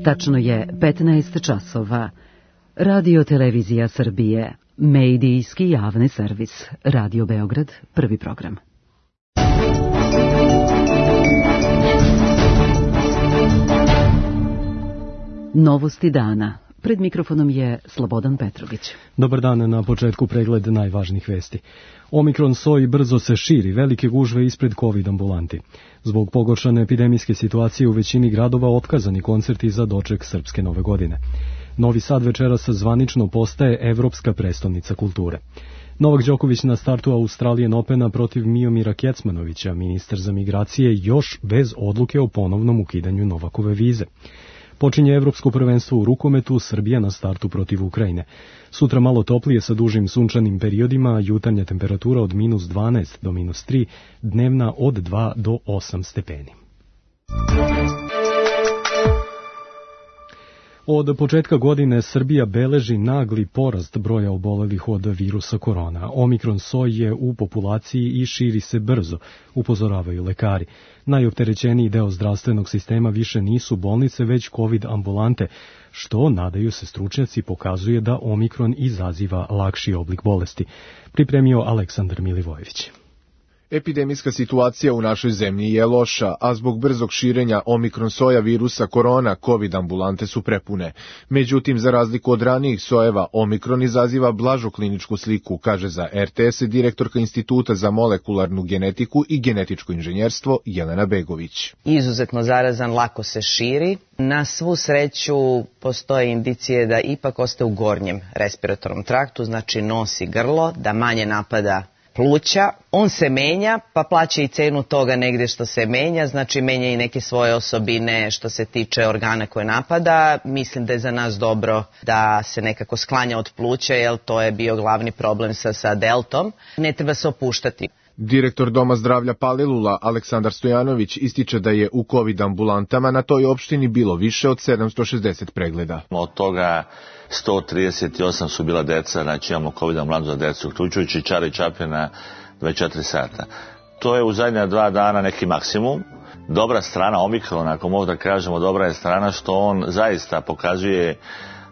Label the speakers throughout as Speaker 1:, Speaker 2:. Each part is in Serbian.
Speaker 1: Tačno je 15 časova. Radio Televizija Srbije, medijski javni servis, Radio Beograd, prvi program. Novosti dana. Pred mikrofonom je Slobodan Petrović.
Speaker 2: Dobar dan, na početku pregled najvažnijih vesti. Omikron soj brzo se širi, velike gužve ispred COVID ambulanti. Zbog pogoršane epidemijske situacije u većini gradova otkazani koncerti za doček srpske nove godine. Novi Sad večeras zvanično postaje evropska prestolnica kulture. Novak Đoković na startu Australian Opena protiv Miomira Kecmanovića, ministar za migracije, još bez odluke o ponovnom ukidanju Novakove vize. Počinje evropsko prvenstvo u rukometu, Srbija na startu protiv Ukrajine. Sutra malo toplije sa dužim sunčanim periodima, jutarnja temperatura od -12 do -3, dnevna od 2 do 8 stepeni. Od početka godine Srbija beleži nagli porast broja obolelih od virusa korona. Omikron soj je u populaciji i širi se brzo, upozoravaju lekari. Najopterećeniji deo zdravstvenog sistema više nisu bolnice, već COVID ambulante, što, nadaju se stručnjaci, pokazuje da Omikron izaziva lakši oblik bolesti. Pripremio Aleksandar Milivojević.
Speaker 3: Epidemijska situacija u našoj zemlji je loša, a zbog brzog širenja omikron soja virusa korona, COVID ambulante su prepune. Međutim, za razliku od ranijih sojeva, omikron izaziva blažu kliničku sliku, kaže za RTS direktorka Instituta za molekularnu genetiku i genetičko inženjerstvo Jelena Begović.
Speaker 4: Izuzetno zarazan, lako se širi. Na svu sreću postoje indicije da ipak ostaje u gornjem respiratornom traktu, znači nos i grlo, da manje napada pluća. On se menja, pa plaća i cenu toga negdje što se menja, znači menja i neke svoje osobine što se tiče organa koje napada. Mislim da je za nas dobro da se nekako sklanja od pluća, jer to je bio glavni problem sa deltom. Ne treba se opuštati.
Speaker 3: Direktor Doma zdravlja Palilula Aleksandar Stojanović ističe da je u COVID ambulantama na toj opštini bilo više od 760 pregleda.
Speaker 5: Od toga 138 su bila deca, znači imamo COVID ambulantu za decu, uključujući Čara i Čapljana 24 sata. To je u zadnja 2 dana neki maksimum. Dobra strana Omikrona, ako mogu da kažemo, dobra je strana što on zaista pokazuje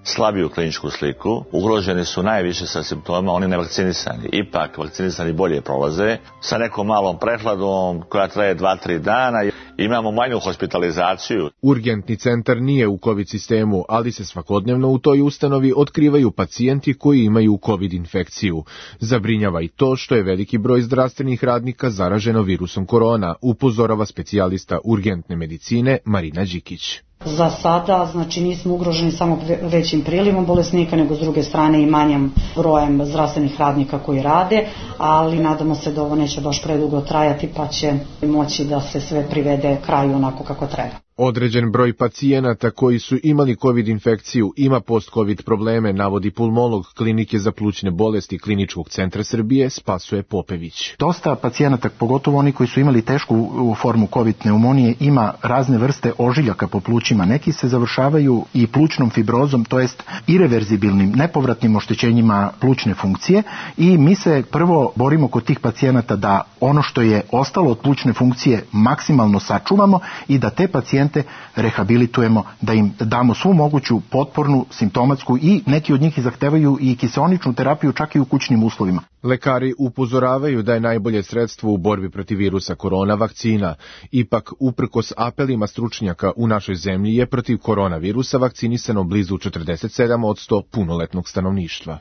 Speaker 5: slabiju kliničku sliku. Ugroženi su najviše sa simptomima oni nevakcinisani. Ipak vakcinisani bolje prolaze. Sa nekom malom prehladom koja traje 2-3 dana imamo manju hospitalizaciju.
Speaker 3: Urgentni centar nije u COVID sistemu, ali se svakodnevno u toj ustanovi otkrivaju pacijenti koji imaju COVID infekciju. Zabrinjava i to što je veliki broj zdravstvenih radnika zaraženo virusom korona, upozorava specijalista urgentne medicine Marina Đikić.
Speaker 6: Za sada, znači, nismo ugroženi samo većim prilivom bolesnika, nego s druge strane i manjim brojem zdravstvenih radnika koji rade, ali nadamo se da ovo neće baš predugo trajati, pa će moći da se sve privede kraju onako kako treba.
Speaker 3: Određen broj pacijenata koji su imali COVID infekciju ima post-COVID probleme, navodi pulmolog Klinike za plućne bolesti Kliničkog centra Srbije Spasoje Popević.
Speaker 7: Dosta pacijenata, pogotovo oni koji su imali tešku formu COVID pneumonije, ima razne vrste ožiljaka po plućima. Neki se završavaju i plućnom fibrozom, to jest ireverzibilnim, nepovratnim oštećenjima plućne funkcije, i mi se prvo borimo kod tih pacijenata da ono što je ostalo od plućne funkcije maksimalno sačuvamo i da te pacijente rehabilitujemo, da im damo svu moguću potpornu, simptomatsku, i neki od njih zahtevaju i kiseoničnu terapiju čak i u kućnim uslovima.
Speaker 3: Lekari upozoravaju da je najbolje sredstvo u borbi protiv virusa korona vakcina. Ipak, uprkos apelima stručnjaka, u našoj zemlji je protiv koronavirusa vakcinisano blizu 47% punoletnog stanovništva.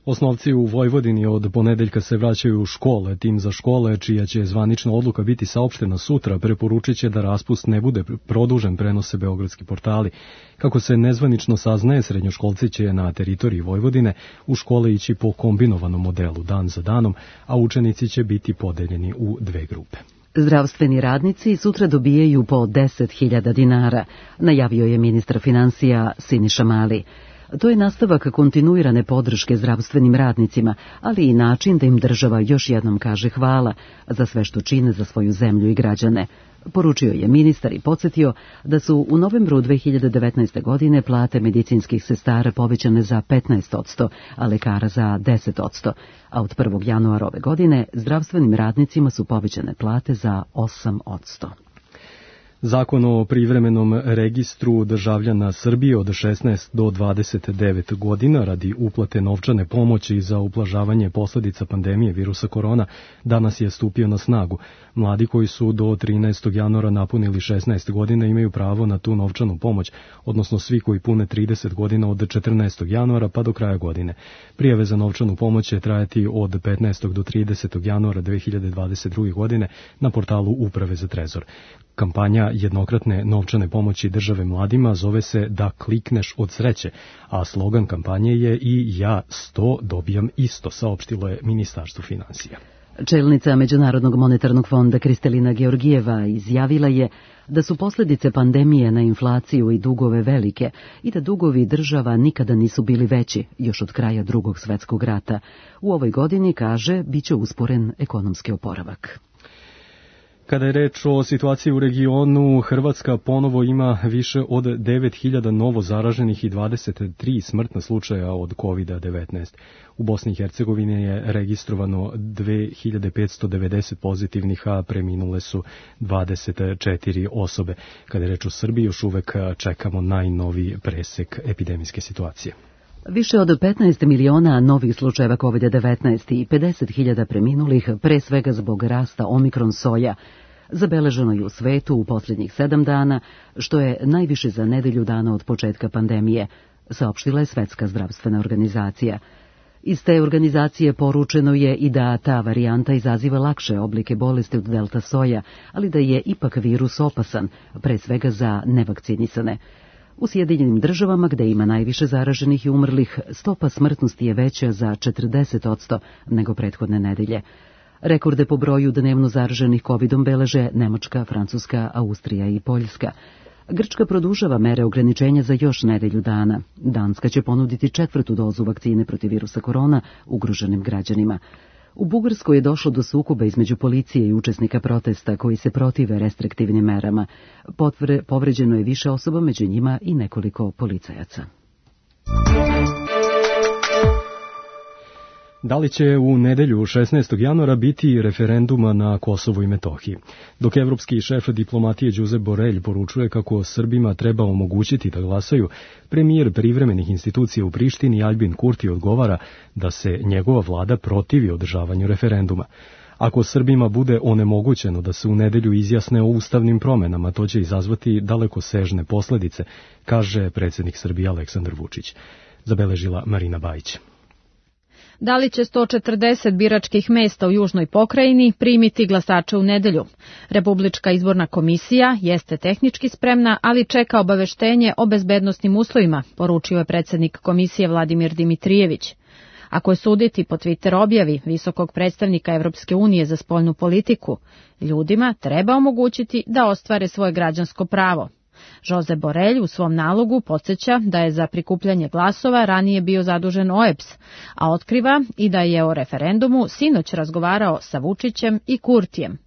Speaker 2: Osnovci u Vojvodini od ponedeljka se vraćaju u škole. Tim za škole, čija će zvanična odluka biti saopštena sutra, preporučit će da raspust ne bude produžen, prenose beogradski portali. Kako se nezvanično saznaje, srednjoškolci će na teritoriji Vojvodine u škole ići po kombinovanom modelu dan za danom, a učenici će biti podeljeni u 2 grupe.
Speaker 1: Zdravstveni radnici sutra dobijaju po 10.000 dinara, najavio je ministar finansija Siniša Mali. To je nastavak kontinuirane podrške zdravstvenim radnicima, ali i način da im država još jednom kaže hvala za sve što čine za svoju zemlju i građane. Poručio je ministar i podsjetio da su u novembru 2019. godine plate medicinskih sestara povećane za 15%, a lekara za 10%, a od 1. januara ove godine zdravstvenim radnicima su povećane plate za 8%.
Speaker 2: Zakon o privremenom registru državljana Srbije od 16 do 29 godina radi uplate novčane pomoći za ublažavanje posledica pandemije virusa korona danas je stupio na snagu. Mladi koji su do 13. januara napunili 16 godina imaju pravo na tu novčanu pomoć, odnosno svi koji pune 30 godina od 14. januara pa do kraja godine. Prijave za novčanu pomoć će trajati od 15. do 30. januara 2022. godine na portalu Uprave za trezor. Kampanja jednokratne novčane pomoći države mladima zove se Da klikneš od sreće, a slogan kampanje je I ja 100 dobijam isto, saopštilo je Ministarstvo finansija.
Speaker 1: Čelnica Međunarodnog monetarnog fonda Kristalina Georgijeva izjavila je da su posljedice pandemije na inflaciju i dugove velike i da dugovi država nikada nisu bili veći, još od kraja Drugog svjetskog rata. U ovoj godini, kaže, bit će usporen ekonomski oporavak.
Speaker 2: Kada je reč o situaciji u regionu, Hrvatska ponovo ima više od 9.000 novo zaraženih i 23 smrtna slučaja od COVID-19. U Bosni i Hercegovini je registrovano 2.590 pozitivnih, a preminule su 24 osobe. Kada je reč o Srbiji, još uvek čekamo najnoviji presek epidemijske situacije.
Speaker 1: Više od 15 miliona novih slučajeva COVID-19 i 50.000 preminulih, pre svega zbog rasta omikron soja, zabeleženo je u svetu u posljednjih 7 dana, što je najviše za nedelju dana od početka pandemije, saopštila je Svetska zdravstvena organizacija. Iz te organizacije poručeno je i da ta varijanta izaziva lakše oblike bolesti od delta soja, ali da je ipak virus opasan, pre svega za nevakcinisane. U Sjedinjenim državama, gde ima najviše zaraženih i umrlih, stopa smrtnosti je veća za 40% nego prethodne nedelje. Rekorde po broju dnevno zaraženih covidom beleže Nemačka, Francuska, Austrija i Poljska. Grčka produžava mere ograničenja za još nedelju dana. Danska će ponuditi 4. dozu vakcine protiv virusa korona ugroženim građanima. U Bugarskoj je došlo do sukoba između policije i učesnika protesta koji se protive restriktivnim merama. Povređeno je više osoba, među njima i nekoliko policajaca.
Speaker 2: Da li će u nedelju 16. januara biti referenduma na Kosovu i Metohiji? Dok evropski šef diplomatije Josep Borrell poručuje kako Srbima treba omogućiti da glasaju, premijer privremenih institucija u Prištini Aljbin Kurti odgovara da se njegova vlada protivi održavanju referenduma. Ako Srbima bude onemogućeno da se u nedelju izjasne o ustavnim promenama, to će izazvati dalekosežne posledice, kaže predsjednik Srbije Aleksandar Vučić. Zabeležila Marina Bajić.
Speaker 8: Da li će 140 biračkih mesta u Južnoj pokrajini primiti glasače u nedelju? Republička izborna komisija jeste tehnički spremna, ali čeka obaveštenje o bezbednosnim uslovima, poručio je predsjednik komisije Vladimir Dimitrijević. Ako je suditi po Twitter objavi visokog predstavnika Evropske unije za spoljnu politiku, ljudima treba omogućiti da ostvare svoje građansko pravo. Josep Borrell u svom nalogu podsjeća da je za prikupljanje glasova ranije bio zadužen OEBS, a otkriva i da je o referendumu sinoć razgovarao sa Vučićem i Kurtijem.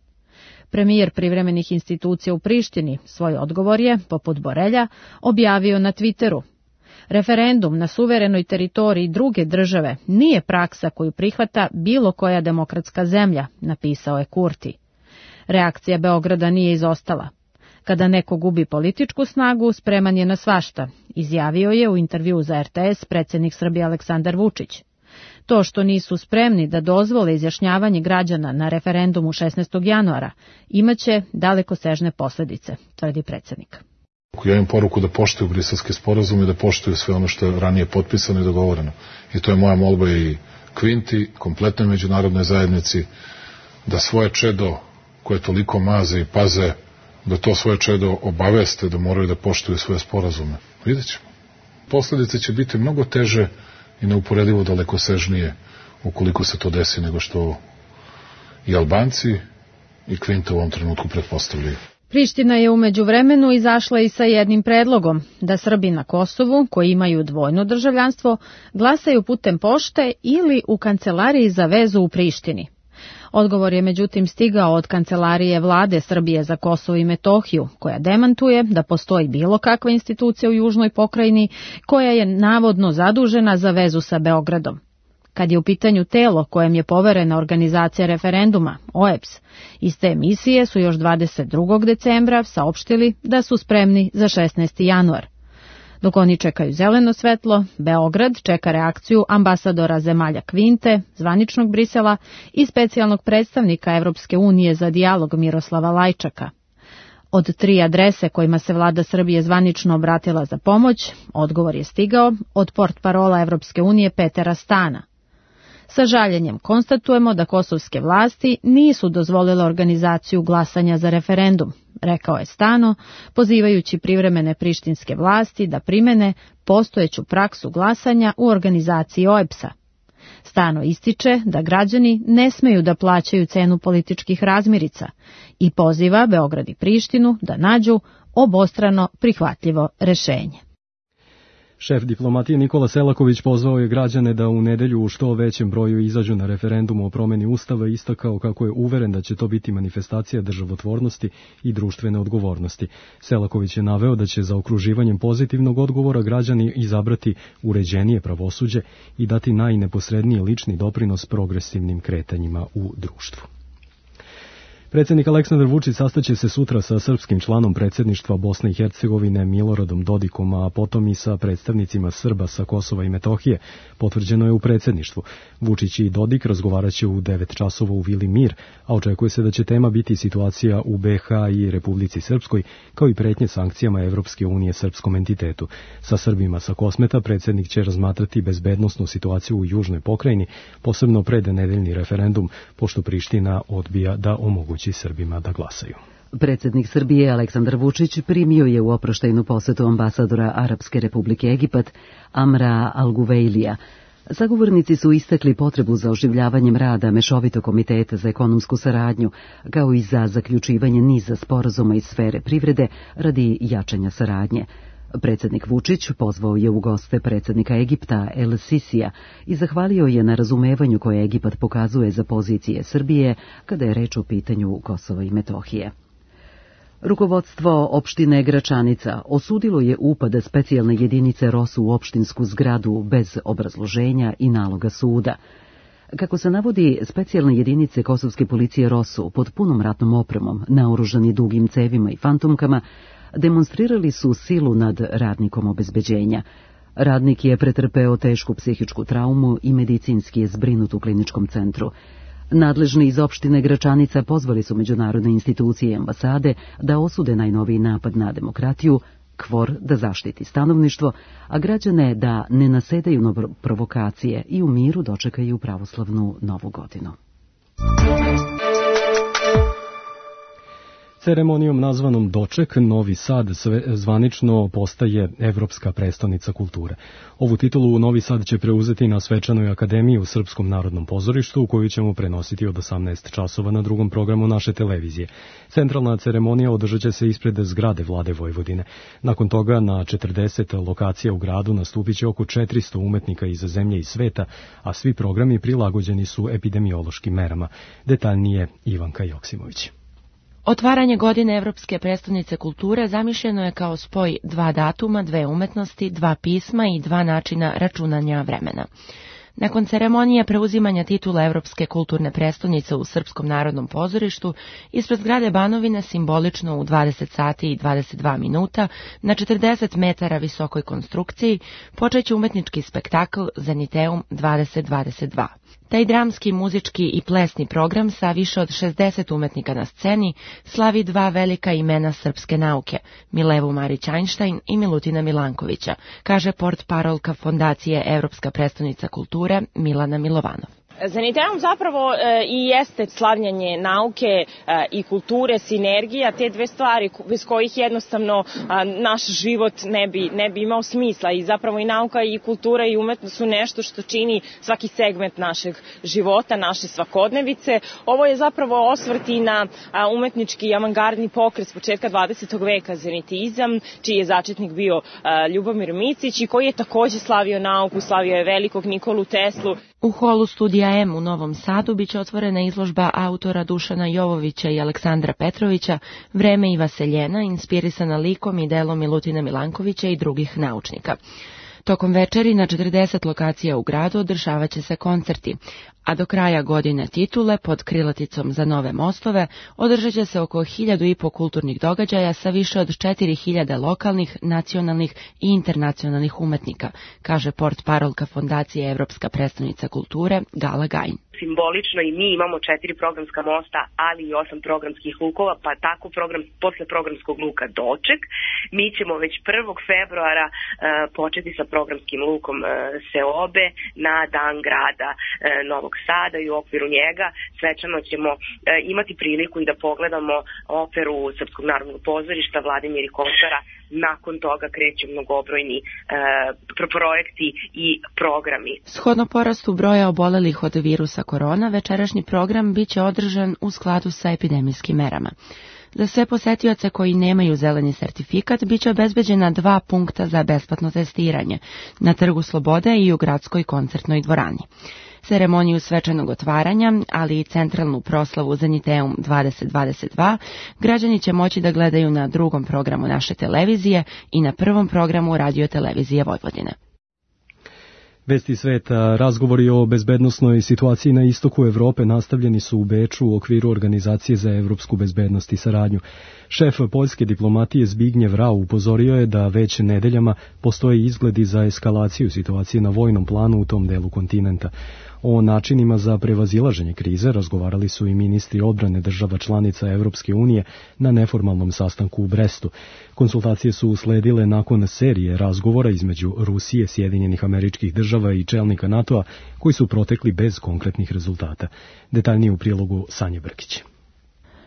Speaker 8: Premijer privremenih institucija u Prištini svoj odgovor je, poput Borrella, objavio na Twitteru. Referendum na suverenoj teritoriji druge države nije praksa koju prihvata bilo koja demokratska zemlja, napisao je Kurti. Reakcija Beograda nije izostala. Kada neko gubi političku snagu, spreman je na svašta, izjavio je u intervjuu za RTS predsjednik Srbije Aleksandar Vučić. To što nisu spremni da dozvole izjašnjavanje građana na referendumu 16. januara imaće dalekosežne posljedice, tvrdi predsjednik.
Speaker 9: Ja imam poruku da poštuju briselske sporazume i da poštuju sve ono što je ranije potpisano i dogovoreno. I to je moja molba i Kvinti, kompletnoj međunarodnoj zajednici, da svoje čedo koje toliko maze i paze, da to svoje čedo obaveste, da moraju da poštuju svoje sporazume. Vidjet ćemo. Posljedice će biti mnogo teže i neuporedivo dalekosežnije ukoliko se to desi nego što i Albanci i Kvinta u ovom trenutku pretpostavljaju.
Speaker 8: Priština je u međuvremenu izašla i sa jednim predlogom da Srbi na Kosovu, koji imaju dvojno državljanstvo, glasaju putem pošte ili u kancelariji za vezu u Prištini. Odgovor je međutim stigao od kancelarije vlade Srbije za Kosovo i Metohiju, koja demantuje da postoji bilo kakva institucija u Južnoj pokrajini koja je navodno zadužena za vezu sa Beogradom. kad je u pitanju telo kojem je poverena organizacija referenduma, OEBS. Iz te emisije su još 22. decembra saopštili da su spremni za 16. januar. Dok oni čekaju zeleno svetlo, Beograd čeka reakciju ambasadora zemalja Kvinte, zvaničnog Brisela i specijalnog predstavnika Evropske unije za dijalog Miroslava Lajčaka. Od 3 adrese kojima se vlada Srbije zvanično obratila za pomoć, odgovor je stigao od portparola Evropske unije Petera Stana. Sa žaljenjem konstatujemo da kosovske vlasti nisu dozvolile organizaciju glasanja za referendum, rekao je Stano, pozivajući privremene prištinske vlasti da primene postojeću praksu glasanja u organizaciji OEBS-a. Stano ističe da građani ne smeju da plaćaju cenu političkih razmirica i poziva Beograd i Prištinu da nađu obostrano prihvatljivo rešenje.
Speaker 2: Šef diplomatije Nikola Selaković pozvao je građane da u nedelju u što većem broju izađu na referendum o promeni Ustava i istakao kako je uveren da će to biti manifestacija državotvornosti i društvene odgovornosti. Selaković je naveo da će za okruživanjem pozitivnog odgovora građani izabrati uređenije pravosuđe i dati najneposredniji lični doprinos progresivnim kretanjima u društvu. Predsjednik Aleksandar Vučić sastaće se sutra sa srpskim članom predsjedništva Bosne i Hercegovine Miloradom Dodikom, a potom i sa predstavnicima Srba sa Kosova i Metohije, potvrđeno je u predsjedništvu. Vučić i Dodik razgovaraće u 9 časova u Vili Mir, a očekuje se da će tema biti situacija u BiH i Republici Srpskoj, kao i pretnje sankcijama Evropske unije srpskom entitetu. Sa Srbima sa Kosmeta predsjednik će razmatrati bezbednosnu situaciju u južnoj pokrajini, posebno pred nedeljni referendum, pošto Priština odbija da omogući Srbima da glasaju.
Speaker 1: Predsjednik Srbije Aleksandar Vučić primio je u oproštajnu posetu ambasadora Arapske republike Egipat Amra Al-Guvejlija. Sagovornici su istakli potrebu za oživljavanjem rada Mešovitog komiteta za ekonomsku saradnju, kao i za zaključivanje niza sporazuma iz sfere privrede radi jačanja saradnje. Predsjednik Vučić pozvao je u goste predsjednika Egipta El Sisija i zahvalio je na razumevanju koje Egipat pokazuje za pozicije Srbije kada je reč o pitanju Kosova i Metohije. Rukovodstvo opštine Gračanica osudilo je upad specijalne jedinice ROSU u opštinsku zgradu bez obrazloženja i naloga suda. Kako se navodi, specijalne jedinice kosovske policije ROSU pod punom ratnom opremom, naoružani dugim cevima i fantomkama, demonstrirali su silu nad radnikom obezbeđenja. Radnik je pretrpeo tešku psihičku traumu i medicinski je zbrinut u kliničkom centru. Nadležni iz opštine Gračanica pozvali su međunarodne institucije i ambasade da osude najnoviji napad na demokratiju, KFOR da zaštiti stanovništvo, a građane da ne nasedaju na provokacije i u miru dočekaju pravoslavnu novu godinu.
Speaker 2: Ceremonijom nazvanom Doček, Novi Sad zvanično postaje Evropska prestonica kulture. Ovu titulu Novi Sad će preuzeti na svečanoj akademiji u Srpskom narodnom pozorištu, koju ćemo prenositi od 18 časova na drugom programu naše televizije. Centralna ceremonija održat će se ispred zgrade Vlade Vojvodine. Nakon toga na 40 lokacija u gradu nastupit će oko 400 umetnika iz zemlje i sveta, a svi programi prilagođeni su epidemiološkim merama. Detaljnije Ivanka Joksimović.
Speaker 10: Otvaranje godine Evropske prestonice kulture zamišljeno je kao spoj 2 datuma, 2 umetnosti, 2 pisma i 2 načina računanja vremena. Nakon ceremonije preuzimanja titula Evropske kulturne prestonice u Srpskom narodnom pozorištu, ispred zgrade Banovine simbolično u 20 sati i 22 minuta na 40 metara visokoj konstrukciji počeće umetnički spektakl Zeniteum 2022. Taj dramski, muzički i plesni program sa više od 60 umetnika na sceni slavi 2 velika imena srpske nauke, Milevu Marić-Einstein i Milutina Milankovića, kaže portparolka Fondacije Evropska prestonica kulture Milana Milovanov.
Speaker 11: Zeniteum zapravo i jeste slavljenje nauke i kulture, sinergija, te 2 stvari bez kojih jednostavno naš život ne bi imao smisla i zapravo i nauka i kultura i umetnost su nešto što čini svaki segment našeg života, naše svakodnevice. Ovo je zapravo osvrt i na umetnički avangardni pokret s početka 20. veka zenitizam, čiji je začetnik bio Ljubomir Micić i koji je takođe slavio nauku, slavio je velikog Nikolu Teslu.
Speaker 10: U holu Studija M u Novom Sadu biće otvorena izložba autora Dušana Jovovića i Aleksandra Petrovića Vreme i vaseljena, inspirisana likom i delom Milutina Milankovića i drugih naučnika. Tokom večeri na 40 lokacija u gradu održavat će se koncerti, a do kraja godine titule pod krilaticom Za nove mostove održat će se oko 1.500 kulturnih događaja sa više od 4.000 lokalnih, nacionalnih i internacionalnih umetnika, kaže portparolka Fondacije Evropska prestonica kulture Gala Gajin.
Speaker 12: Simbolično i mi imamo 4 programska mosta, ali i 8 programskih lukova, pa tako posle programskog luka Doček. Mi ćemo već 1. februara početi sa programskim lukom Seobe na Dan grada Novog Sada i u okviru njega svečano ćemo imati priliku i da pogledamo operu Srpskog narodnog pozorišta Vladimir i Košara. Nakon toga kreću mnogobrojni projekti i programi.
Speaker 10: Shodno porastu broja obolelih od virusa korona, večerašnji program biće održan u skladu sa epidemijskim merama. Za sve posetioce koji nemaju zeleni sertifikat biće obezbeđena 2 punkta za besplatno testiranje na Trgu Slobode i u gradskoj koncertnoj dvorani. Ceremoniju svečanog otvaranja, ali i centralnu proslavu Zeniteum 2022, građani će moći da gledaju na drugom programu naše televizije i na prvom programu Radio-televizije Vojvodine.
Speaker 2: Vesti sveta, razgovori o bezbednosnoj situaciji na istoku Evrope nastavljeni su u Beču u okviru Organizacije za evropsku bezbednost i saradnju. Šef poljske diplomatije Zbignjev Rau upozorio je da već nedeljama postoje izgledi za eskalaciju situacije na vojnom planu u tom delu kontinenta. O načinima za prevazilaženje krize razgovarali su i ministri odbrane država članica Evropske unije na neformalnom sastanku u Brestu. Konsultacije su usledile nakon serije razgovora između Rusije, Sjedinjenih Američkih Država i čelnika NATO-a koji su protekli bez konkretnih rezultata. Detaljnije u prilogu Sanje Brkić.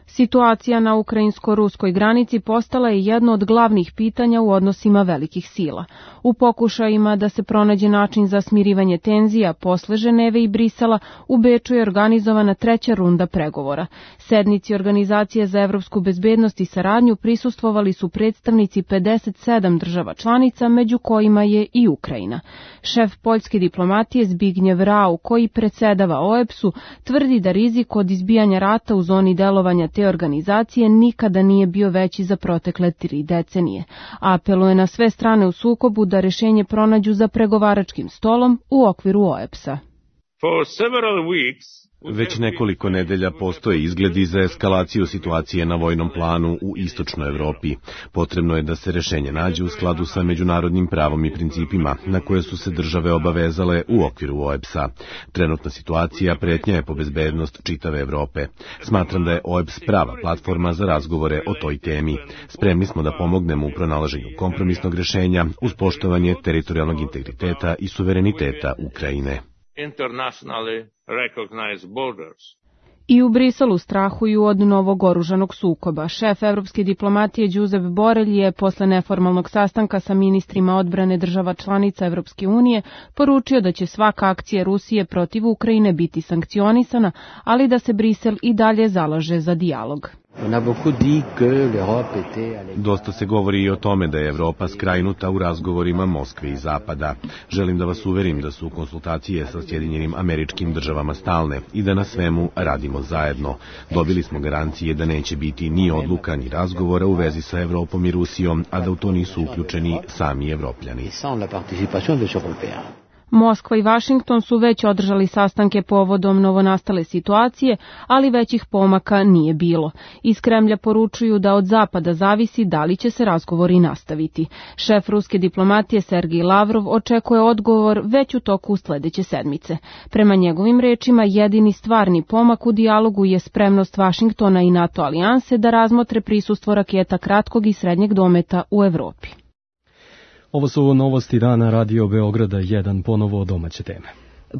Speaker 13: Situacija na ukrajinsko-ruskoj granici postala je jedno od glavnih pitanja u odnosima velikih sila. U pokušajima da se pronađe način za smirivanje tenzija posle Ženeve i Brisela, u Beču je organizovana 3. runda pregovora. Sednici Organizacije za evropsku bezbednost i saradnju prisustvovali su predstavnici 57 država članica, među kojima je i Ukrajina. Šef poljske diplomatije Zbignjev Rau, koji predsedava OEBS-u, tvrdi da rizik od izbijanja rata u zoni delovanja te organizacije nikada nije bio veći za protekle 3 decenije. Apeluje na sve strane u sukobu da rešenje pronađu za pregovaračkim stolom u okviru OEBS-a.
Speaker 14: Već nekoliko nedelja postoje izgledi za eskalaciju situacije na vojnom planu u istočnoj Evropi. Potrebno je da se rešenje nađe u skladu sa međunarodnim pravom i principima na koje su se države obavezale u okviru OEBS-a. Trenutna situacija pretnja je po bezbednost čitave Evrope. Smatram da je OEBS prava platforma za razgovore o toj temi. Spremni smo da pomognemo u pronalaženju kompromisnog rešenja uz poštovanje teritorijalnog integriteta i suvereniteta Ukrajine.
Speaker 13: I u Briselu strahuju od novog oružanog sukoba. Šef evropske diplomatije Josep Borrell je posle neformalnog sastanka sa ministrima odbrane država članica Evropske unije poručio da će svaka akcija Rusije protiv Ukrajine biti sankcionisana, ali da se Brisel i dalje zalaže za dijalog.
Speaker 14: Dosta se govori i o tome da je Evropa skrajnuta u razgovorima Moskve i Zapada. Želim da vas uverim da su konsultacije sa Sjedinjenim Američkim Državama stalne i da na svemu radimo zajedno. Dobili smo garancije da neće biti ni odluka ni razgovora u vezi sa Evropom i Rusijom, a da u to nisu uključeni sami Evropljani.
Speaker 13: Moskva i Vašington su već održali sastanke povodom novonastale situacije, ali većih pomaka nije bilo. Iz Kremlja poručuju da od Zapada zavisi da li će se razgovori nastaviti. Šef ruske diplomatije Sergej Lavrov očekuje odgovor već u toku sledeće sedmice. Prema njegovim rečima, jedini stvarni pomak u dijalogu je spremnost Vašingtona i NATO alijanse da razmotre prisustvo raketa kratkog i srednjeg dometa u Evropi.
Speaker 2: Ovo su novosti dana Radio Beograda 1, ponovo domaće teme.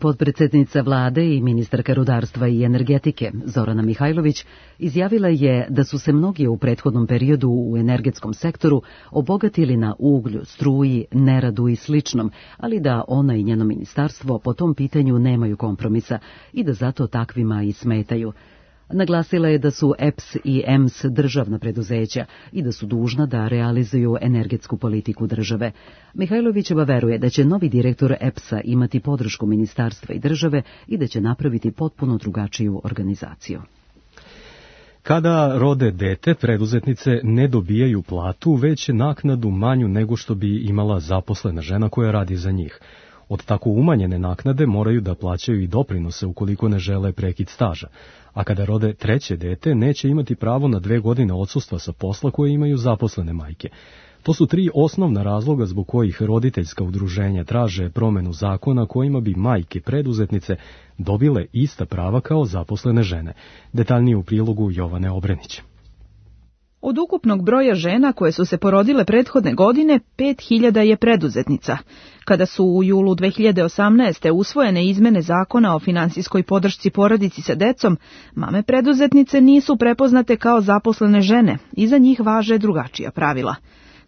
Speaker 1: Potpredsednica vlade i ministarka rudarstva i energetike Zorana Mihajlović izjavila je da su se mnogi u prethodnom periodu u energetskom sektoru obogatili na uglju, struji, neradu i sličnom, ali da ona i njeno ministarstvo po tom pitanju nemaju kompromisa i da zato takvima i smetaju. Naglasila je da su EPS i EMS državna preduzeća i da su dužna da realizuju energetsku politiku države. Mihajlovićeva veruje da će novi direktor EPS-a imati podršku ministarstva i države i da će napraviti potpuno drugačiju organizaciju.
Speaker 2: Kada rode dete, preduzetnice ne dobijaju platu, već naknadu manju nego što bi imala zaposlena žena koja radi za njih. Od tako umanjene naknade moraju da plaćaju i doprinose ukoliko ne žele prekid staža, a kada rode treće dete neće imati pravo na 2 godine odsustva sa posla koje imaju zaposlene majke. To su 3 osnovna razloga zbog kojih roditeljska udruženja traže promenu zakona kojima bi majke preduzetnice dobile ista prava kao zaposlene žene. Detaljnije u prilogu Jovane Obrenić.
Speaker 15: Od ukupnog broja žena koje su se porodile prethodne godine, 5000 je preduzetnica. Kada su u julu 2018. usvojene izmene zakona o finansijskoj podršci porodici sa decom, mame preduzetnice nisu prepoznate kao zaposlene žene i za njih važe drugačija pravila.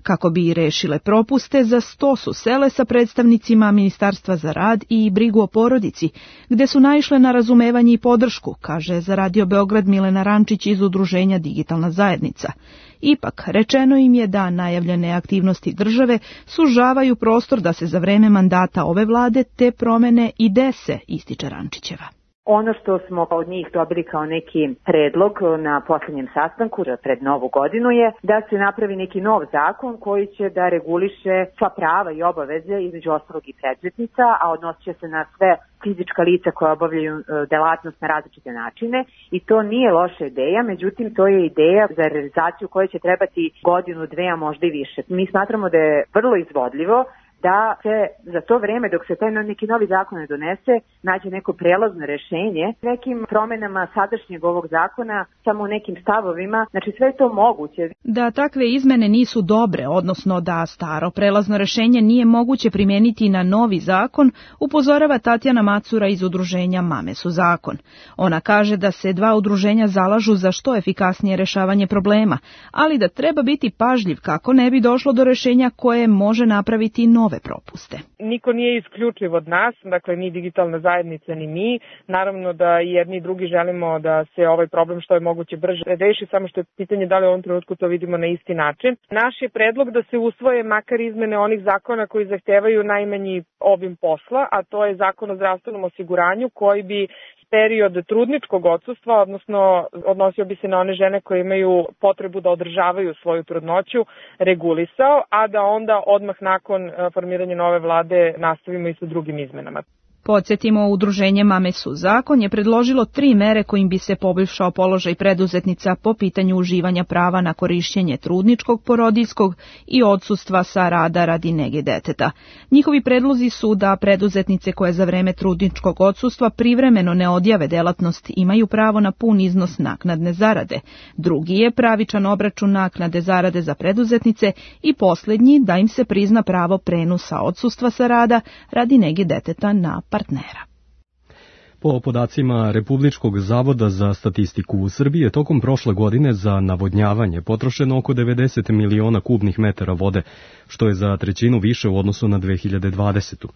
Speaker 15: Kako bi rešile propuste, za 100 su sele sa predstavnicima Ministarstva za rad i brigu o porodici, gde su naišle na razumevanje i podršku, kaže za Radio Beograd Milena Rančić iz udruženja Digitalna zajednica. Ipak, rečeno im je da najavljene aktivnosti države sužavaju prostor da se za vreme mandata ove vlade te promene i dese, ističe Rančićeva.
Speaker 16: Ono što smo od njih dobili kao neki predlog na posljednjem sastanku pred novu godinu je da se napravi neki nov zakon koji će da reguliše sva prava i obaveze između ostalog i preduzetnica, a odnosit će se na sve fizička lica koja obavljaju delatnost na različite načine i to nije loša ideja, međutim to je ideja za realizaciju koje će trebati godinu, 2, a možda i više. Mi smatramo da je vrlo izvodljivo da se za to vreme dok se taj neki novi zakon ne donese nađe neko prelazno rešenje nekim promenama sadašnjeg ovog zakona, samo u nekim stavovima, znači sve je to moguće.
Speaker 15: Da takve izmene nisu dobre, odnosno da staro prelazno rešenje nije moguće primijeniti na novi zakon, upozorava Tatjana Macura iz udruženja Mame su zakon. Ona kaže da se 2 udruženja zalažu za što efikasnije rešavanje problema, ali da treba biti pažljiv kako ne bi došlo do rešenja koje može napraviti nove propuste.
Speaker 17: Niko nije isključiv od nas, dakle ni digitalna zajednica ni mi. Naravno da jedni i drugi želimo da se ovaj problem što je moguće brže reši, samo što je pitanje da li u ovom trenutku to vidimo na isti način. Naš je predlog da se usvoje makar izmene onih zakona koji zahtevaju najmanji obim posla, a to je Zakon o zdravstvenom osiguranju koji bi period trudničkog odsustva, odnosno odnosio bi se na one žene koje imaju potrebu da održavaju svoju trudnoću, regulisao, a da onda odmah nakon formiranja nove vlade nastavimo i sa drugim izmenama.
Speaker 15: Podsjetimo, udruženje Mame su zakon je predložilo 3 mere kojim bi se poboljšao položaj preduzetnica po pitanju uživanja prava na korišćenje trudničkog, porodiljskog i odsustva sa rada radi nege deteta. Njihovi predlozi su da preduzetnice koje za vreme trudničkog odsustva privremeno ne odjave delatnost imaju pravo na pun iznos naknadne zarade. Drugi je pravičan obračun naknade zarade za preduzetnice i posljednji da im se prizna pravo prenosa odsustva sa rada radi nege deteta na partnera.
Speaker 2: Po podacima Republičkog zavoda za statistiku u Srbiji je tokom prošle godine za navodnjavanje potrošeno oko 90 miliona kubnih metara vode, što je za 1/3 više u odnosu na 2020.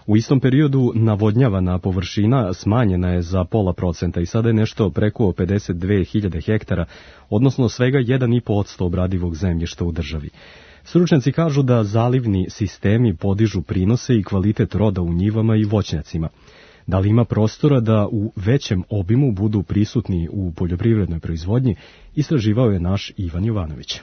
Speaker 2: U istom periodu navodnjavana površina smanjena je za 0,5% i sada je nešto preko 52.000 hektara, odnosno svega 1,5% obradivog zemljišta u državi. Stručnjaci kažu da zalivni sistemi podižu prinose i kvalitet roda u njivama i voćnjacima. Da li ima prostora da u većem obimu budu prisutni u poljoprivrednoj proizvodnji, istraživao je naš Ivan Jovanović.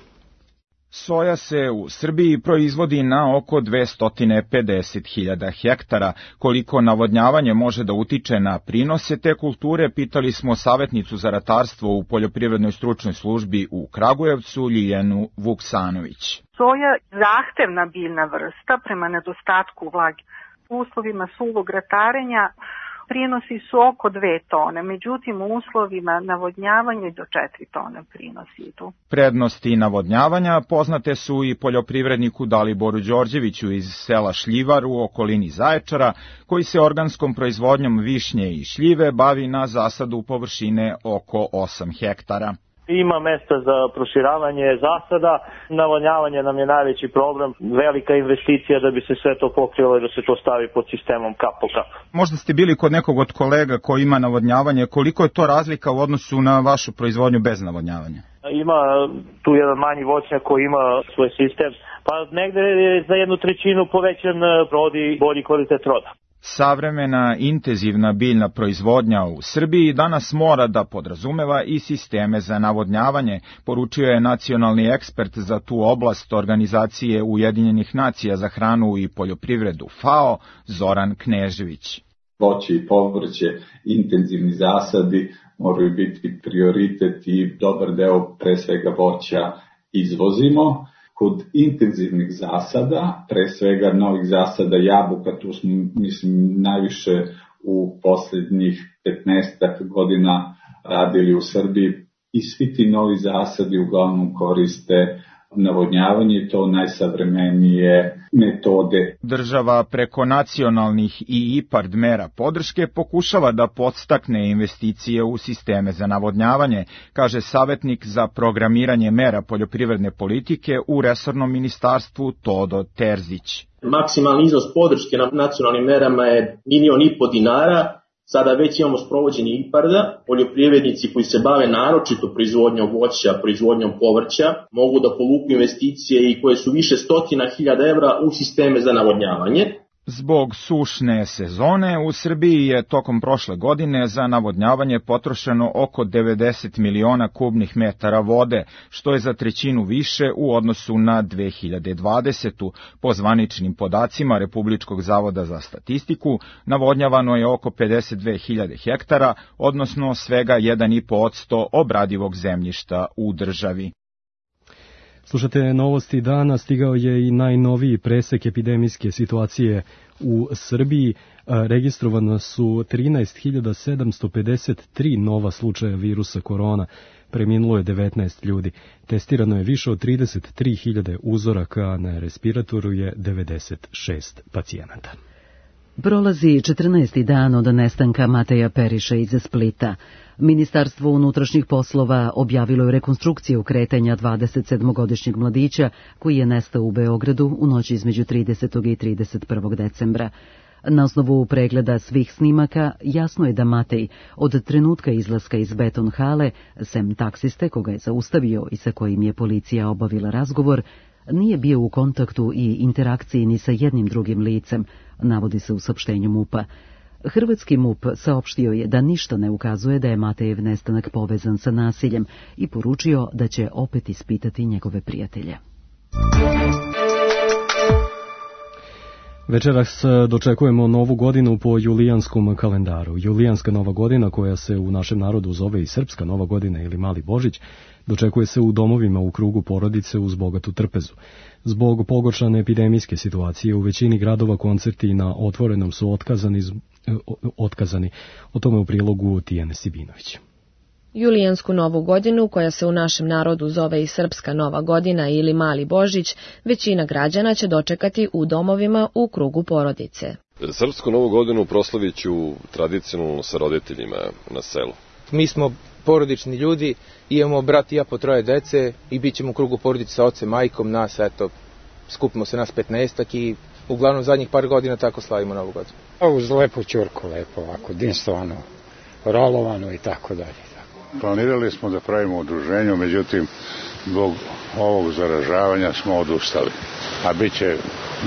Speaker 18: Soja se u Srbiji proizvodi na oko 250.000 hektara. Koliko navodnjavanje može da utiče na prinose te kulture, pitali smo savjetnicu za ratarstvo u poljoprivrednoj stručnoj službi u Kragujevcu, Ljiljanu Vuksanović.
Speaker 19: Soja zahtevna biljna vrsta prema nedostatku vlage. U uslovima suvog ratarenja prinosi su oko 2 tone, međutim u uslovima navodnjavanja do 4 tone prinosi idu.
Speaker 18: Prednosti navodnjavanja poznate su i poljoprivredniku Daliboru Đorđeviću iz sela Šljivar u okolini Zaječara, koji se organskom proizvodnjom višnje i šljive bavi na zasadu površine oko 8 hektara.
Speaker 20: Ima mesta za proširavanje zasada, navodnjavanje nam je najveći problem, velika investicija da bi se sve to pokrilo i da se to stavi pod sistemom kap po kap.
Speaker 18: Možda ste bili kod nekog od kolega koji ima navodnjavanje, koliko je to razlika u odnosu na vašu proizvodnju bez navodnjavanja?
Speaker 20: Ima tu jedan manji voćnjak koji ima svoj sistem, pa negde je za 1/3 povećan rod i bolji kvalitet roda.
Speaker 18: Savremena intenzivna biljna proizvodnja u Srbiji danas mora da podrazumeva i sisteme za navodnjavanje, poručio je nacionalni ekspert za tu oblast Organizacije Ujedinjenih nacija za hranu i poljoprivredu FAO, Zoran Knežević.
Speaker 21: Voće i povrće, intenzivni zasadi moraju biti prioritet i dobar deo pre svega voća izvozimo. Kod intenzivnih zasada, pre svega novih zasada jabuka, tu smo najviše u posljednjih 15 godina radili u Srbiji i svi ti novi zasadi uglavnom koriste navodnjavanje, to najsavremenije metode.
Speaker 18: Država preko nacionalnih i IPARD mera podrške pokušava da podstakne investicije u sisteme za navodnjavanje, kaže savjetnik za programiranje mera poljoprivredne politike u resornom ministarstvu Todo Terzić.
Speaker 22: Maksimalni iznos podrške na nacionalnim merama je 1,5 miliona dinara. Sada već imamo sprovođenje IPARD-a, poljoprivrednici koji se bave naročito proizvodnjom voća, proizvodnjom povrća, mogu da povuku investicije i koje su više stotina hiljada evra u sisteme za navodnjavanje.
Speaker 18: Zbog sušne sezone u Srbiji je tokom prošle godine za navodnjavanje potrošeno oko 90 miliona kubnih metara vode, što je za trećinu više u odnosu na 2020. Po zvaničnim podacima Republičkog zavoda za statistiku, navodnjavano je oko 52.000 hektara, odnosno svega 1,5% obradivog zemljišta u državi.
Speaker 2: Slušate novosti dana, stigao je i najnoviji presek epidemijske situacije u Srbiji. Registrovano su 13.753 nova slučaja virusa korona. Preminulo je 19 ljudi. Testirano je više od 33.000 uzoraka, na respiratoru je 96 pacijenata.
Speaker 1: Prolazi 14. dan od nestanka Mateja Periša iz Splita. Ministarstvo unutrašnjih poslova objavilo je rekonstrukciju kretanja 27-godišnjeg mladića koji je nestao u Beogradu u noći između 30. i 31. decembra. Na osnovu pregleda svih snimaka jasno je da Matej od trenutka izlaska iz beton hale, sem taksiste koga je zaustavio i sa kojim je policija obavila razgovor, nije bio u kontaktu i interakciji ni sa jednim drugim licem, navodi se u saopštenju MUP-a. Hrvatski MUP saopštio je da ništa ne ukazuje da je Matejev nestanak povezan sa nasiljem i poručio da će opet ispitati njegove prijatelje.
Speaker 2: Večeras dočekujemo novu godinu po julijanskom kalendaru. Julijanska nova godina, koja se u našem narodu zove i Srpska nova godina ili Mali Božić, dočekuje se u domovima u krugu porodice uz bogatu trpezu. Zbog pogoršane epidemijske situacije u većini gradova koncerti na otvorenom su otkazani. O tome u prilogu Tijane Sibinović.
Speaker 23: Julijansku novu godinu, koja se u našem narodu zove i Srpska nova godina ili Mali Božić, većina građana će dočekati u domovima u krugu porodice.
Speaker 24: Srpsku novu godinu proslavit ću tradicionalno sa roditeljima na selu.
Speaker 25: Mi smo porodični ljudi, imamo brat i ja po 3 dece i bit ćemo u krugu porodice sa ocem, majkom, nas, skupimo se nas 15 i uglavnom zadnjih par godina tako slavimo novu godinu.
Speaker 26: Uz lepu ćurku, lepo ovako, dinstvano, rolovano i tako dalje.
Speaker 27: Planirali smo da pravimo udruženje, međutim, zbog ovog zaražavanja smo odustali. A bit će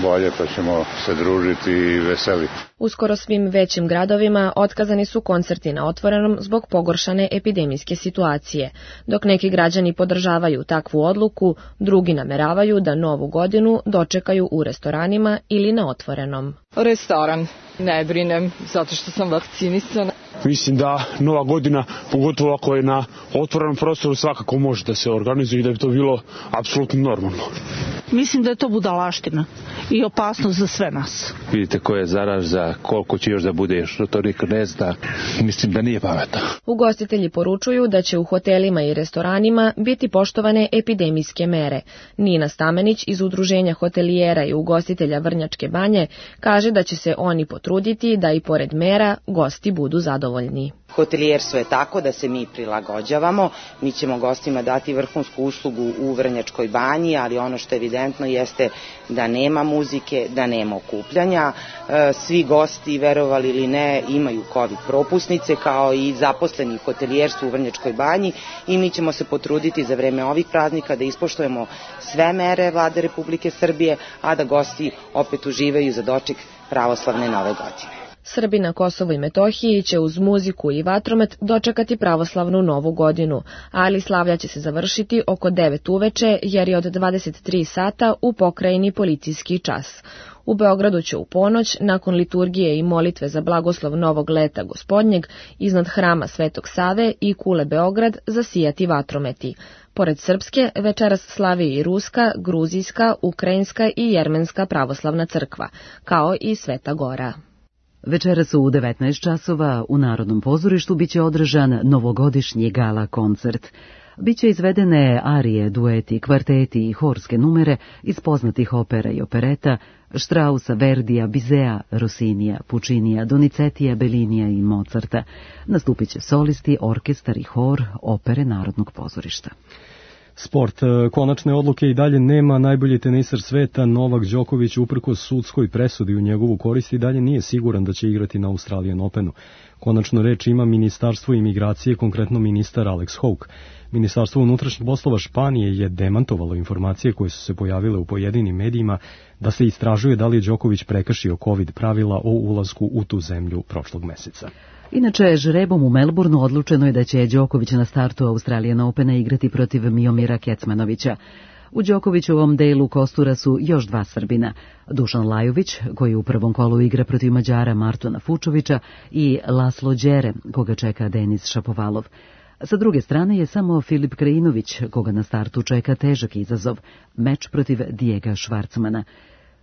Speaker 27: bolje, pa ćemo se družiti i veseliti.
Speaker 23: U skoro svim većim gradovima otkazani su koncerti na otvorenom zbog pogoršane epidemijske situacije. Dok neki građani podržavaju takvu odluku, drugi nameravaju da novu godinu dočekaju u restoranima ili na otvorenom.
Speaker 28: Restoran. Ne brinem, zato što sam vakcinisana.
Speaker 29: Mislim da nova godina, pogotovo ako je na otvorenom prostoru, svakako može da se organizuje i da bi to bilo apsolutno normalno.
Speaker 30: Mislim da je to budalaština i opasnost za sve nas.
Speaker 31: Vidite ko je zaraza, koliko će još da bude, što to niko ne zna. Mislim da nije pametno.
Speaker 23: Ugostitelji poručuju da će u hotelima i restoranima biti poštovane epidemijske mere. Nina Stamenić iz Udruženja hotelijera i ugostitelja Vrnjačke Banje kaže da će se oni potruditi da i pored mera gosti budu zadovoljni.
Speaker 4: Hotelijerstvo je tako da se mi prilagođavamo, mi ćemo gostima dati vrhunsku uslugu u Vrnjačkoj Banji, ali ono što je evidentno jeste da nema muzike, da nema okupljanja. Svi gosti, verovali ili ne, imaju COVID propusnice kao i zaposleni u hotelijerstvu u Vrnjačkoj Banji i mi ćemo se potruditi za vreme ovih praznika da ispoštujemo sve mere Vlade Republike Srbije, a da gosti opet uživaju za doček pravoslavne nove godine.
Speaker 23: Srbi na Kosovu i Metohiji će uz muziku i vatromet dočekati pravoslavnu novu godinu, ali slavlja će se završiti oko 9 uveče jer je od 23 sata u pokrajini policijski čas. U Beogradu će u ponoć, nakon liturgije i molitve za blagoslov novog leta gospodnjeg, iznad hrama Svetog Save i kule Beograd zasijati vatrometi. Pored srpske, večeras slavi i ruska, gruzijska, ukrajinska i jermenska pravoslavna crkva, kao i Sveta Gora.
Speaker 1: Večeras u 19 časova u Narodnom pozorištu biće održan novogodišnji gala koncert. Biće izvedene arije, dueti, kvarteti i horske numere iz poznatih opera i opereta Strausa, Verdija, Bizea, Rossinija, Puccinija, Donizetija, Bellinija i Mozarta. Nastupit će solisti, orkestar i hor opere Narodnog pozorišta.
Speaker 2: Sport. Konačne odluke i dalje nema. Najbolji tenisar sveta Novak Đoković uprkos sudskoj presudi u njegovu korist i dalje nije siguran da će igrati na Australian Openu. Konačno reč ima Ministarstvo imigracije, konkretno ministar Alex Houck. Ministarstvo unutrašnjih poslova Španije je demantovalo informacije koje su se pojavile u pojedinim medijima da se istražuje da li je Đoković prekršio COVID pravila o ulasku u tu zemlju prošlog meseca.
Speaker 1: Inače, žrebom u Melbourneu odlučeno je da će Đoković na startu Australian Opena igrati protiv Miomira Kecmanovića. U Đokovićevom delu kostura su još 2 Srbina, Dušan Lajović, koji u prvom kolu igra protiv Mađara Martona Fučovića, i Laslo Đere, koga čeka Denis Šapovalov. Sa druge strane je samo Filip Krajinović, koga na startu čeka težak izazov, meč protiv Dijega Švarcmana.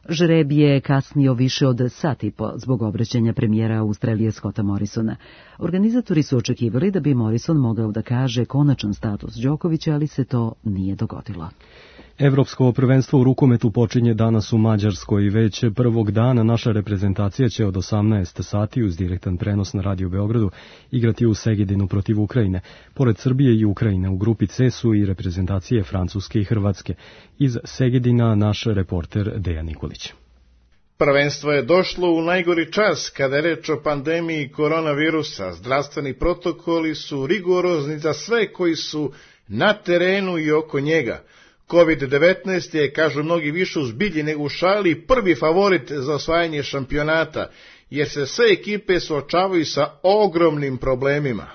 Speaker 1: Žreb je kasnio više od sat i po zbog obraćanja premijera Australije Scotta Morrisona. Organizatori su očekivali da bi Morrison mogao da kaže konačan status Đokovića, ali se to nije dogodilo.
Speaker 2: Evropsko prvenstvo u rukometu počinje danas u Mađarskoj. Već prvog dana naša reprezentacija će od 18 sati uz direktan prenos na Radio Beogradu igrati u Segedinu protiv Ukrajine. Pored Srbije i Ukrajine u grupi C su i reprezentacije Francuske i Hrvatske. Iz Segedina naš reporter Dejan Nikolić.
Speaker 3: Prvenstvo je došlo u najgori čas kada je reč o pandemiji koronavirusa. Zdravstveni protokoli su rigorozni za sve koji su na terenu i oko njega. COVID-19 je, kažu mnogi, više u zbilji nego u šali, prvi favorit za osvajanje šampionata, jer se sve ekipe suočavaju sa ogromnim problemima.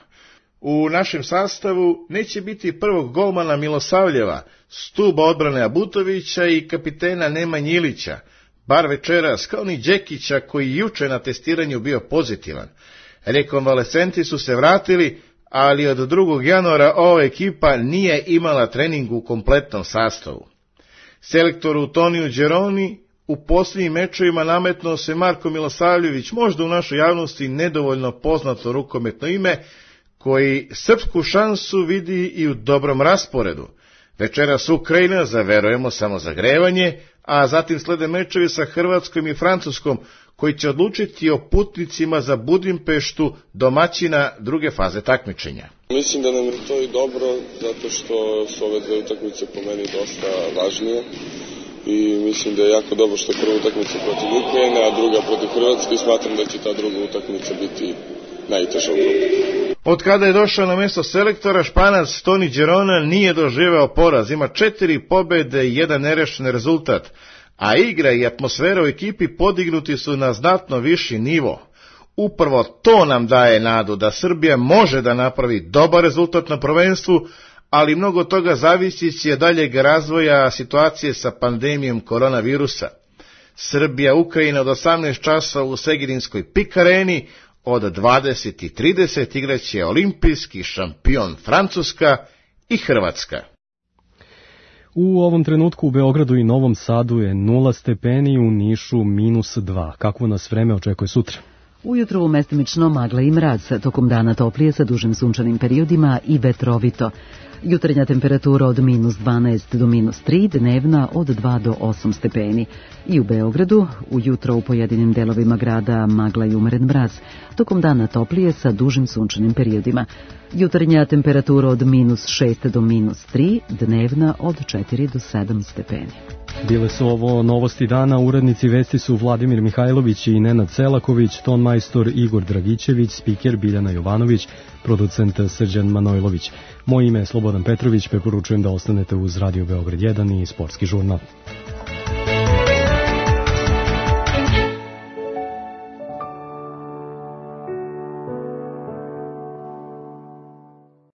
Speaker 3: U našem sastavu neće biti prvog golmana Milosavljeva, stuba odbrane Abutovića i kapitena Nemanje Ilića, bar večeras, kao ni Đekića koji juče na testiranju bio pozitivan. Rekonvalescenti su se vratili, ali od 2. januara ova ekipa nije imala trening u kompletnom sastavu. Selektoru Toniju Đeroni u posljednjim mečevima nametnuo se Marko Milosavljević, možda u našoj javnosti nedovoljno poznato rukometno ime, koji srpsku šansu vidi i u dobrom rasporedu. Večeras Ukrajina za, verujemo, samo zagrevanje, a zatim slede mečevi sa Hrvatskom i Francuskom, koji će odlučiti o putnicima za Budimpeštu, domaćina druge faze takmičenja.
Speaker 24: Mislim da nam je to i dobro, zato što su ove 2 utakmice po meni dosta važnije i mislim da je jako dobro što je prva utakmica protiv Ukrajine, a druga protiv Hrvatske i smatram da će ta druga utakmica biti najteža u grupi.
Speaker 3: Od kada je došao na mjesto selektora, Španac Toni Đerona nije doživeo poraz, ima 4 pobjede i 1 nerešen rezultat, a igra i atmosfera u ekipi podignuti su na znatno viši nivo. Upravo to nam daje nadu da Srbija može da napravi dobar rezultat na prvenstvu, ali mnogo toga zavisi će daljeg razvoja situacije sa pandemijom koronavirusa. Srbija Ukrajina od 18 časova u Segedinskoj PIK areni, od 20:30 igraće olimpijski šampion Francuska i Hrvatska.
Speaker 2: U ovom trenutku u Beogradu i Novom Sadu je 0 stepeni, u Nišu -2. Kakvo nas vreme očekuje sutra?
Speaker 1: Ujutro mestimično magla i mraz, tokom dana toplije sa dužim sunčanim periodima i vetrovito. Jutarnja temperatura od -12 do -3, dnevna od 2 do 8 stepeni. I u Beogradu, ujutro u pojedinim delovima grada magla i umeren mraz, tokom dana toplije sa dužim sunčanim periodima. Jutarnja temperatura od -6 do -3, dnevna od 4 do 7 stepeni.
Speaker 2: Bile su ovo novosti dana, urednici vesti su Vladimir Mihajlović i Nenad Selaković, tonmajstor Igor Dragićević, spiker Biljana Jovanović, producent Srđan Manojlović. Moje ime je Slobodan Petrović, preporučujem da ostanete uz Radio Beograd 1 i Sportski žurnal.